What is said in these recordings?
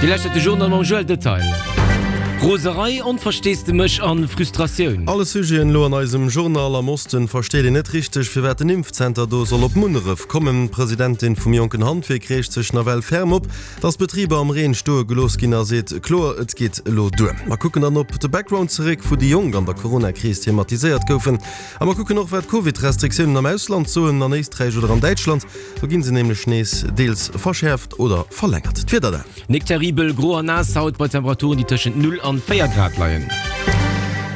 Dir lauschtert de Journal mam Joël Detail. Roserei, Onversteesdemech an Frustratioun. Alle Sujeten elo an eisem Journal. Am Osten versteet een net richteg, firwat den Impfzenter do soll op Munneref kommen. D'Presidentin vum jonken Handwierk reegt sech nawell ferm op, dass d'Betriber am Reen stoe gelooss ginn a seet kloer, et geet elo duer. Mer kucken dann op de Background zeréck, wou déi Jonk an der Corona-Kris thematiséiert goufen. A mer kucken och, wat d'Covid-Restriktiounen am Ausland soen, an Éisträich oder an Däitschland. Do ginn se nämlech nees deels verschäerft oder verlängert. D'Wieder dann. Nik terribel, gro an naass haut bei Temperaturen, déi tëschent 0 an 4 Grad leien.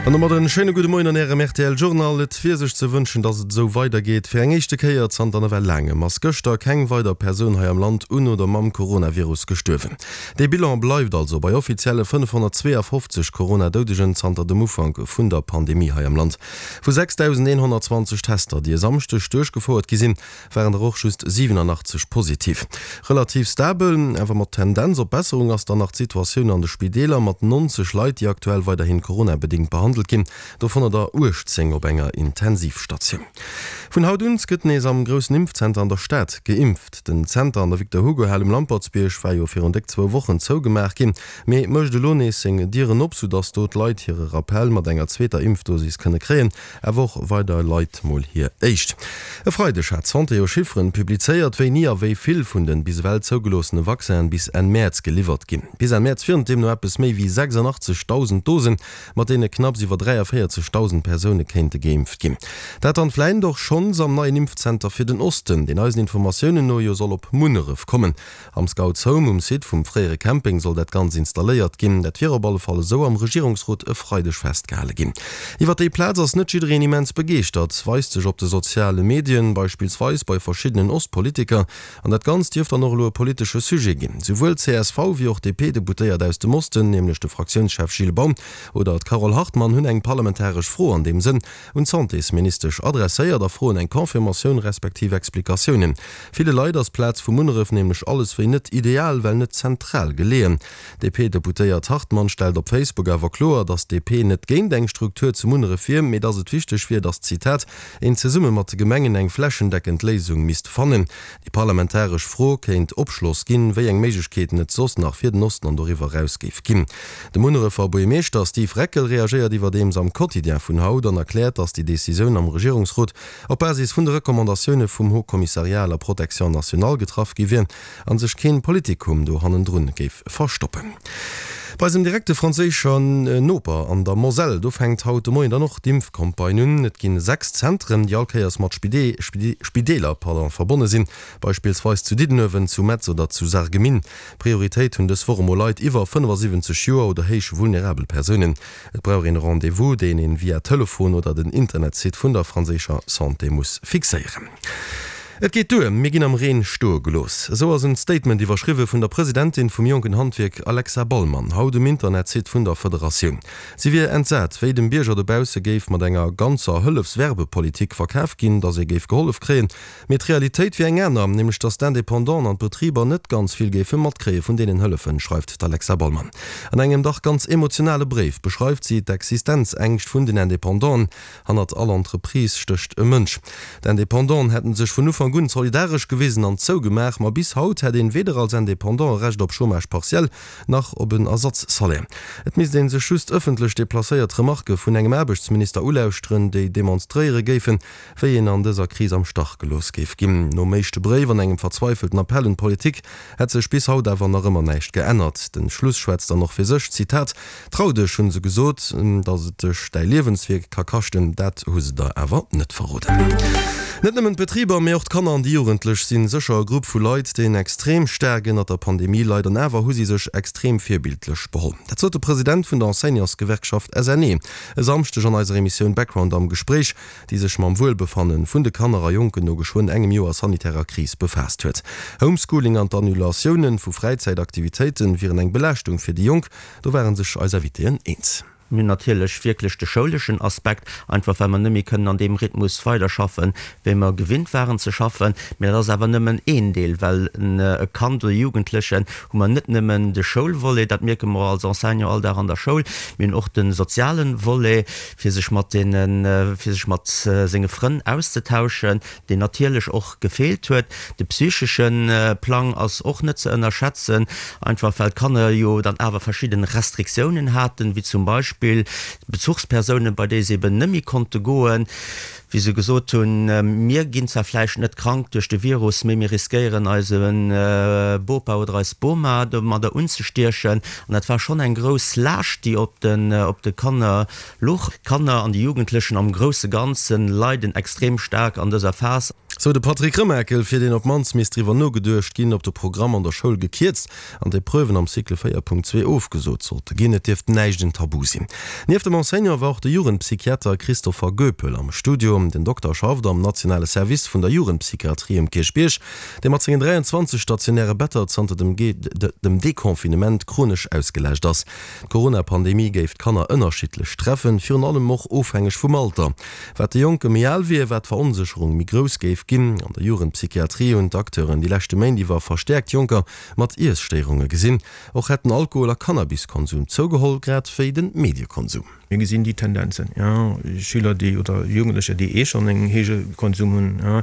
An domat en schéine gudde Moien an Ärem rtl Journal. Et wier sech ze wënschen, dass et esou weider geet. Fir eng éischte Kéier zanter nawell laangem ass gëschter keng weider Persoun hei am Land un oder mam Coronavirus gestuerwen. Dee Bilan bleift also bei offizielle 552 Corona-Doudegen zanter dem Ufank vun der Pandemie hei am Land. Vu 6.120 Tester, déi e Samschdeg duerchgefouert gi sinn, waren der och just 87 positiv. Relativ stabel, awer mat Tendenz op Besserung ass dann nach d'Situatioun an de Spideeler, mat 90 Leit, déi aktuell weiderhin coronabedéngt behandelt ginn, dovunner der 18 op enger Intensivstatioun. Vun haut un gëtt nees am groussen Impfzenter an der Stad geimpft. Den Zenter an der Victor-Hugo-Hal um Lampertsbierg war jo virun déck zwou Wochen zougemaach ginn, mee mécht elo nees seng Dieren op, soudass do d'Leit hire Rappell mat enger zweeter Impfdosis kënne kréien. Awer och weider Leit mol hir éischt. E Freideg hat d'Santé jo Chifferen publizéiert, wéini a wéi vill vun den bis ewell zougeloossene Vaccinen bis Enn Mäerz geliwwert ginn. Bis Enn Mäerz wieren et deemno eppes méi wéi 86.000 Dosen, mat deene knapps iwwer 43.000 Persoune kéinte geimpft ginn. Dat dann vläicht och schonns am neien Impfzenter fir den Osten, deen eisen Informatiounen no jo soll op Munneref kommen. Am Scouts Home um Site vum fréiere Camping soll dat Ganz installéiert ginn. Dat wier op alle Fall esou am Regierungsrot e Freideg festgehale ginn. Iwwer déi Plaz ass net jiddereen immens begeeschtert, weist sech op de soziale Medien, beispillsweis bei verschiddenen Ostpolitiker. An dat Ganzt dierft dann och elo e politesche Sujet ginn. Souwuel csv wéi och DP-Deputéiert aus dem Osten, nämlech de Fraktiounschef Gilles Baum oder d'Carole Hartmann, hunn eng parlamentaresch Fro an deem Sënn un d'Santésministesch adresséiert a froen eng Confirmatioun respektiv Explikatiounen. Ville Leit ass d'Plaz vu Munneref nämlech alles wéi net ideal, well net zentral geleeën. D'DP-Deputéiert Hartmann stellt op Facebook awer kloer, datt d'DP net géint eng Struktur zu Munneref wier, mee datt et wichteg wier, datt, Zitat, een zesumme mat de Gemengen eng flächendeckend Léisung misst fannen. Déi parlamentaresch Fro kéint Opschloss ginn, wéi eng Méiglechkeeten et soss nach fir den Osten an doriwwer eraus géif ginn. De Munnerefer Buergermeeschter Steve Reckel reagéiert iwwerdeems am Quotidien vun haut an erkläert, datt déi Decisioun am Regierungsrot op Basis vun de Recommandatioune vum Haut Commissariat à la protection nationale getraff gi wier a sech keen Politikum do hannendrun géif verstoppen. Bei eisem direkte franséischer Noper an der Moselle, do fänkt haut de Moien dann och d'Impfcampagne un. Et ginn 6 Zentren, déi all Kéiers mat Spideeler verbonne sinn, beispillsweis zu Diddenuewen, zu Metz oder zu Sarreguemines. Prioritéit hunn dës Woch emol Leit iwwer 75 Joer oder héich vulnerabel Persounen. Et brauch een e Rendez-vous, deen een via Telefon oder den Internetsite vun der franséischer Santé muss fixéieren. Et geet duer, mir ginn am Reen stoe gelooss. Esou ass en Statement iwwerschriwwe vun der Presidentin vum jonken Handwierk Alexa Ballmann haut um Internetsite vun der Federatioun. Si wier entsat, wéi dem Bierger dobausse géif mat enger ganzer Hëllefswerbepolitik verkaf ginn, datt ee géif gehollef kréien, Mee d'Realitéit wier eng aner, nämlech datt d'Independanten an d'Betriber net ganz vill géife matkréie vun deenen Hëllefen, schreift d'Alexa Ballmann. An engem dach ganz emotionale Bréif beschreift si d'Existenzängscht vun den Independanten. Hannert all Entreprise stécht e Mënsch. D'Independanten hätten sech vun Ufank un solidaresch gewisen an zougemaach, ma bis haut hätt een weder als Independant e Recht op Chômage partiel, nach op en Ersatzsalaire. Et misst ee sech just ëffentlech deplacéiert Remarke vun engem Aarbechtsminister ulauschteren, déi demonstréiere géifen, wéi een an dëser Kris am Stach gelooss géif ginn. Nom éischte Bréif an engem verzweifelten Appell un d'Politik hätt sech bis haut awer nach ëmmer näischt geännert. Den Schluss schwätzt dann och fir sech, Zitat, Trau dech, hunn se gesot, datt et dech däi Liewenswierk ka kaschten, dat hu se der awer net verroden. Net nëmmen d'Betriber, mee och d'Kanner an déi Jugendlech sinn sécher e Grupp vu Leit, deen extrem staark ënnert der Pandemie leit an awer hu si sech extrem virbildlech beholl. Dat sot de President vun der Enseignantsgewerkschaft SNE e Samschdeg an eiser Emissioun Background am Gespréich. déi sech mam Wuelbefanne vun de Kanner a Jonken no geschwënn engem Joer sanitärer Kris befaasst huet. Homeschooling an d'Annulatioune vu Fräizäitaktivitéite wieren eng Belaaschtung fir déi Jonk, do ware sech eis Invitéen eens. Mir hunn natierlech wierklech de schouleschen Aspekt, einfach well mer net méi kënnen an deem Rhythmus weiderschaffen, wéi mer gewinnt waren ze schaffen. Mä dat ass awer nëmmen een Deel, well e Kand oder e Jugendlechen hu mer net nëmmen de Schoulvolet, dat mierke mer als Enseignant all Dag an der Schoul, mir hunn och de soziale Volet, fir sech mat deene, fir sech mat senge Frënn auszetauschen, deen natierlech och gefeelt huet. De psychesche Plang ass och net ze ënnerschätzen, einfach well d'Kanner jo dann awer verschidden Restriktiounen haten, wéi zum Beispill Bezuchspersounen, bei déi se eben net méi konnte goen, wéi se gesot hunn, mir ginn zwar vläicht net krank duerch de Virus, mee mir riskéieren eise Bopa oder eis Boma domadder unzestiechen. An dat war schonn eng grouss Laascht, déi op de Kanner Luch. D'Kanner an déi Jugendlechen am grousse Ganzen leiden extrem staark an dëser Phas. Sou de Patrick Remakel, fir deen op d'mannst misst driwwer nogeduecht ginn, ob de Programm an der Schoul gekierzt an d'Epreuven am Cycle 4.2 ofgesot sollte ginn. Et dierft näischt en Tabu sinn. Nieft dem Enseignant war och de Jugendpsychiater Christopher Goepel am Studio. Den Dokter schafft am nationale Service vun der Jugendpsychiatrie um Kierchbierg, dee mat sengen 23 stationäre Better zanter dem Deconfinement chronesch ausgelaascht ass. D'Corona-Pandemie géif d'Kanner ënnerschiddlech treffen, virun allem och ofhängeg vum Alter. Wat de Jonke méi al wier, wat d'Veronsécherung méi grouss géif ginn. An der Jugendpsychiatrie hunn d'Acteuren déi leschte Méint iwwer verstäerkt Jonker mat Iesstéierunge gesinn. Och hätt den Alkohol a Cannabiskonsum zougeholl, grad wéi de Mediekonsum. Mir gesinn déi Tendenzen, jo, Schüler, déi, oder Jugendlecher, déi eh schonn en héije Konsum hunn, jo,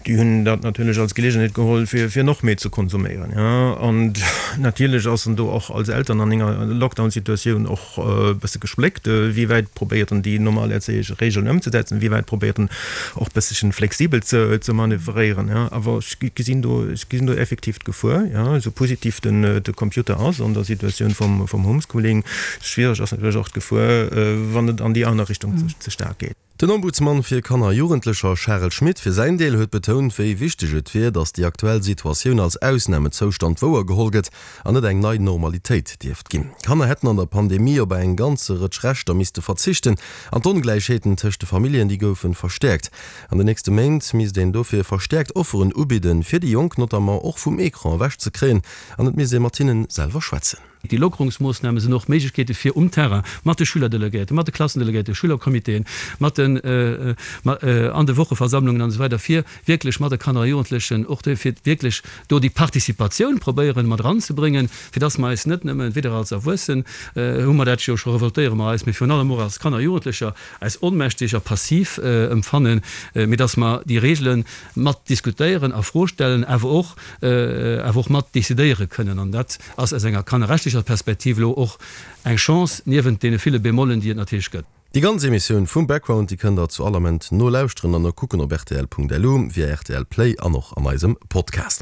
déi hunn dat natierlech als Geleegenheet geholl, fir, fir nach méi ze konsuméieren, jo. An natierlech ass en do och als Eltern an enger Lockdown-Situatioun och e bësse gespléckt, wéi wäit probéiert en déi normal erzéieresch Regeln ëmzesetzen, wéi wäit probéiert en och bëssechen flexibel ze, ze manövréieren, jo. Awer ech gesinn do, ech gesinn do effektiv d'Gefuer, jo, esou positiv den, de Computer ass an der Situatioun vum, vum Homeschooling, Schwiereg ass natierlech och d'Gefuer, wann et an déi aner Richtung ze staark geet. Den Ombudsmann fir Kanner a Jugendlecher Charel Schmit fir säin Deel huet betount, wéi wichteg et wier, datt déi aktuell Situatioun als Ausnamezoustand wouergeholl gëtt an net eng nei Normalitéit dierft ginn. Kanner hätten an der Pandemie op eng ganze Rëtsch Rechter misste verzichten an d'Ongläichheeten tëscht de Familljen, déi goufen verstäerkt. An den nächste Méint misst een dofir verstäerkt Offeren ubidden, fir déi Jonk notamment och vum Ecran ewech ze kréien an et misst ee mat hinnen selwer schwätzen. Déi Lockerungsmoossname sinn och Méiglechkeete fir um Terrain mat de Schülerdelegéierten, mat de Klassendelegéierten, Schülercomitéen, mat den an de Wocheversammlungen an esou weider fir wierklech mat de Kanner a Jugendlechen och do fir wierklech do déi Participatioun probéieren mat eranzebréngen, fir dass mer eis net nëmmen, weder als Erwuessen hu mer dat jo scho, revoltéiere mer eis, mee virun allem och als Kanner a Jugendlecher eis onmächtig a passiv empfannen, mee dass mer déi Regele mat diskutéieren, a Fro stellen, awer och awer och mat decidéiere kënnen. An dat ass aus enger kannerrechtlecher Perspektiv elo och eng Chance, niewent deene ville Bémollen, déi et natierlech gëtt. Déi ganz Emissioun vum Background, déi kënnt der zu all Ament nolauschteren an nokucken op rtl.lu, via rtl Play an och an eisem Podcast.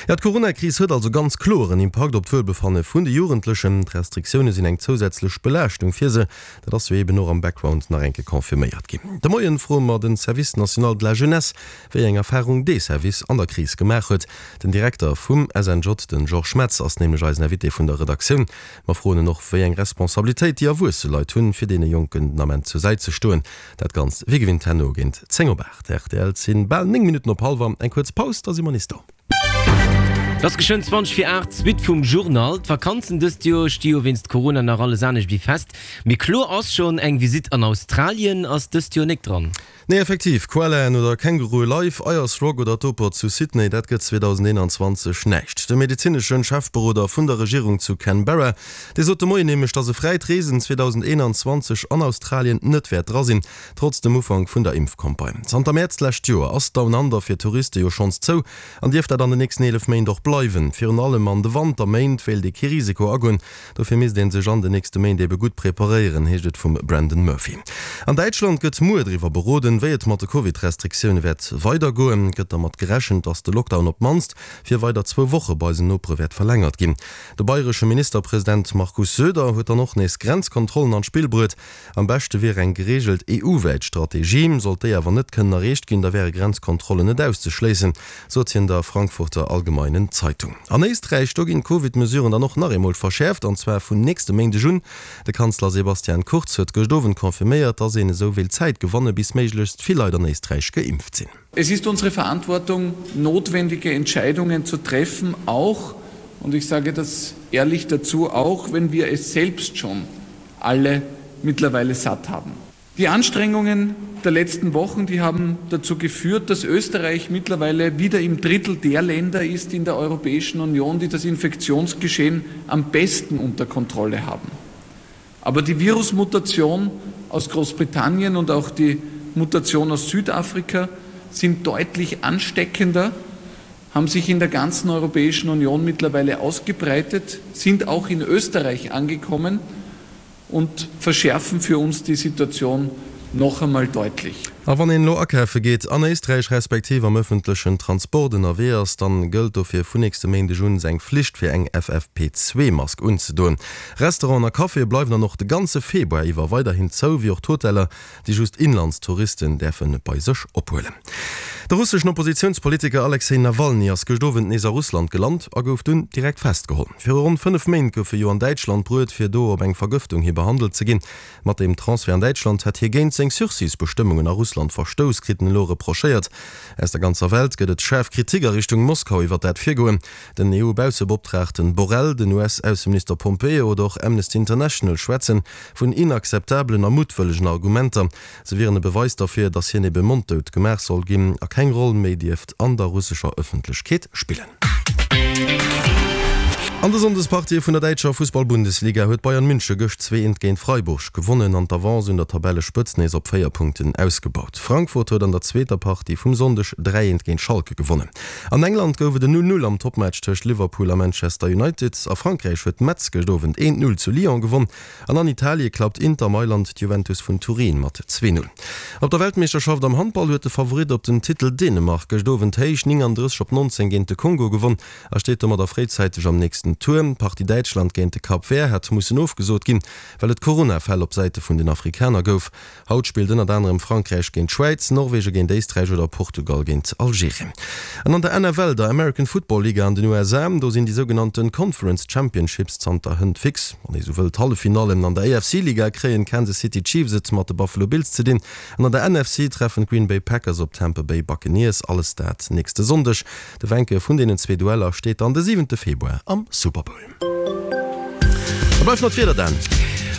Jo, d'Coronakris huet also ganz kloer en Impakt op d'Wuelbefanne vun de Jugendlechen. D'Restriktioune sinn eng zousätzlech Belaaschtung fir se. Dat ass jo eben och am Background nach eng Kéier confirméiert ginn. De Moien froe mer den Service National de la Jeunesse, wéi eng Erfarung dee Service an der Kris gemaach huet. Den Direkter vum SNJ, den Georges Metz, ass nämlech eisen Invité vun der Redaktioun. Mer froen en och, wéi eng Responsabilitéit déi erwuesse Leit hunn, fir deene Jonken den Ament zur Säit ze stoen. Dat Ganzt wéi gewinnt herno géint 10 op 8. Rtl, 't sinn bal 9 Minutten op hallwer. Eng kuerz Paus, da si mer nees do. Et ass geschwënn 20 vir 8, d'Suite vum Journal. D'Vakanzen dëst Joer sti jo wéinst Corona nach alles anescht wéi fest. Mee kloer ass schonn, eng Visitt an Australien ass dëst Joer nik dran. Nee effektiv, Koalaen oder Kängurue live, Ayers Rock oder d'Oper zu Sydney, dat gëtt 2021 näischt. De medezineschen Chefberoder vun der Regierung zu Canberra, dee sot de Moien nämlech, datt e fräit Reesen 2021 an Australien net wäert dra sinn, trotz dem Ufank vun der Impfcampagne. Zanter Mäerz d'lescht Joer ass Down Under fir Touriste jo schonns zou an dierft dat an den nächsten 11 Méint och bleiwen. Virun allem an de Wanterméint wéilt ee kee Risiko agoen. Dofir misst ee sech an den nächste Méint ebe gutt preparéieren, heescht et vum Brendan Murphy. An Däitschland gëtt muer driwwer beroden, wéi et mat de Covid-Restriktioune wäert weidergoen. Et gëtt dermat gerechent, datt de Lockdown op d'mannst fir weider zwou Woche bei eisen Nopere wäert verlängert ginn. De bayresche Ministerpresident Markus Söder huet dann och nees Grenzkontrollen an d'Spill bruet. Am beschte wier eng gereegelt EU-wäit Strategie. Sollt déi awer net kënnen erreecht ginn, da wäre Grenzkontrollen net auszeschléissen, sot hien der Frankfurter Allgemeinen Zeitung. An Éisträich, do ginn d'Covid-Mesuren dann och nach eemol verschäerft, an zwar vun nächste Méindeg un. De Kanzler Sebastian Kurz huet gëscht Owend confirméiert, datt een esou wéilt Zäit gewanne bis méiglechst vill Leit an Éisträich geimpft sinn. Es ist unsere Verantwortung, notwendige Entscheidungen zu treffen, auch, und ich sage das ehrlich dazu, auch wenn wir es selbst schon alle. mittlerweile satt haben. Die Anstrengungen der letzten Wochen, die haben dazu geführt, dass Österreich mittlerweile wieder im Drittel der Länder ist in der Europäischen Union, die das Infektionsgeschehen am besten unter Kontrolle haben. Aber die Virusmutation aus Großbritannien und auch die Mutation aus Südafrika sind deutlich ansteckender, haben sich in der ganzen Europäischen Union mittlerweile ausgebreitet, sind auch in Österreich angekommen und verschärfen für uns die Situation noch einmal deutlich. A wann een elo akafe geet an Éisträich respektiv am ëffentlechen Transport ënnerwee ass, dann gëllt dofir vun nächste Méindeg un eng Flicht fir eng FFP2-Mask unzedoen. Restauranten a Caféë bleiwen dann och de ganze Februar iwwer weiderhin zou, wéi och d'Hoteller, déi just Inlandstouristen däerfe bei sech ophuelen. De russeschen Oppositiounspolitiker Alexej Nawalny ass gëscht Owend nees a Russland gelant a gouf dunn direkt festgeholl. Viru ronn 5 Méint gouf e jo an Däitschland bruet, fir do op eng Vergëftung hi behandelt ze ginn. Mat dem Transfert an Däitschland hätt hie géint seng Sursis-Bestëmmungen a Russland verstouss, kritt en elo reprochéiert. Aus der ganzer Welt gëtt et schaarf Kritik a Richtung Moskau iwwer dat Virgoen. Den EU-Bausseboptraagten Borrell, den US-Ausseminister Pompeo oder och Amnesty International schwätzen vun inakzeptabelen a muttwëllegen Argumenter. Se wieren e Beweis derfir, datt hien ebe monddout gemaach soll ginn a keng Roll méi dierft an der russescher Ëffentlechkeet spillen. An de Sonndespartië vun der däitscher Fussball-Bundesliga huet Bayern Münche gëscht 2 eent géint Freiburg gewonnen an d'Avance un der Tabellespëtz nees op 4 Punkten ausgebaut. Frankfurt huet an der zweeter Partie vum Sonndeg 3 eent géint Schalke gewonnen. An England gouf et en 0, 0 am Toppmatch tëscht Liverpool a Manchester United. A Frankräich huet Metz gëscht Owend 1, 0 zu Lyon gewonn an an Italie klappt Inter Mailand d'Juventus vun Turin mat 2, 0. Op der Weltmeeschterschaft am Handball huet de Favorit op den Titel Dänemark gëscht Owend héich 39 op 19 géint de Kongo gewonn a steet domadder fréizäiteg am nächsten Tour. D'Partie Däitschland géint de Cap Vert hat mussen ofgesot ginn, well et Corona-Fäll op Säite vun den Afrikaner gouf. Haut spillt ënnert anerem Frankräich géint d'Schwäiz, Norwege géint Éisträich oder Portugal géint Algerien. An an der NFL, der American Football Liga an den USA, do sinn déi sougenannte Conference Championships zanter hënt fix. Wann ee sou wëll, d'Halleffinallen. An der AFC-Liga kréien d'Kansas City Chiefs et mat de Buffalo Bills ze dinn an an der NFC treffen d'Green Bay Packers op d'Tampa Bay Buccaneers. Alles dat nächste Sonndeg. De Wenke vun deenen zwee Dueller steet dann de siwente Februar am Super Bowl. Da bleift nach d'Wieder, Dan.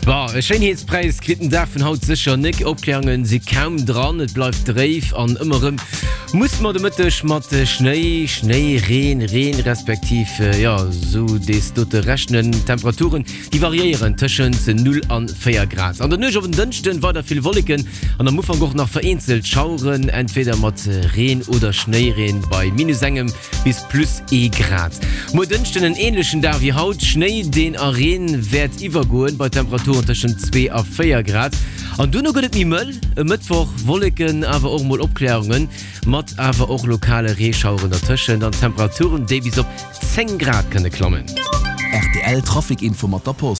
Bon, e Schéinheetspräis kritt den Dag vun haut sécher nek. Opklärunge si kaum dran, et bleift dréif an ëmmer erëm muss mer de Mëtteg mat Schnéi, Schnéi, Reen, Reen respektiv jo esou dees dote rechnen. D'Temperaturen déi variéieren tëschent 0 an 4 Grad. An der Nuecht op en Dënschden weider vill Wolleken an am Ufank och nach vereenzelt Schaueren, entweder mat Reen oder Schnéireen bei minus engem bis plus ee Grad. Muer Dënschden en änlechen Dag wéi haut, Schnéi deen a Reen wäert iwwergoen, bei Temperaturen tëschent 2 a 4 Grad. An duerno gëtt et méi mëll. E Mëttwoch Wolleken, awer och mol Opkläerungen, mat awer och lokale Reeschaueren dertëschent an Temperaturen déi bis op 10 Grad kënne klammen. Rtl Trafic Info mat der Post.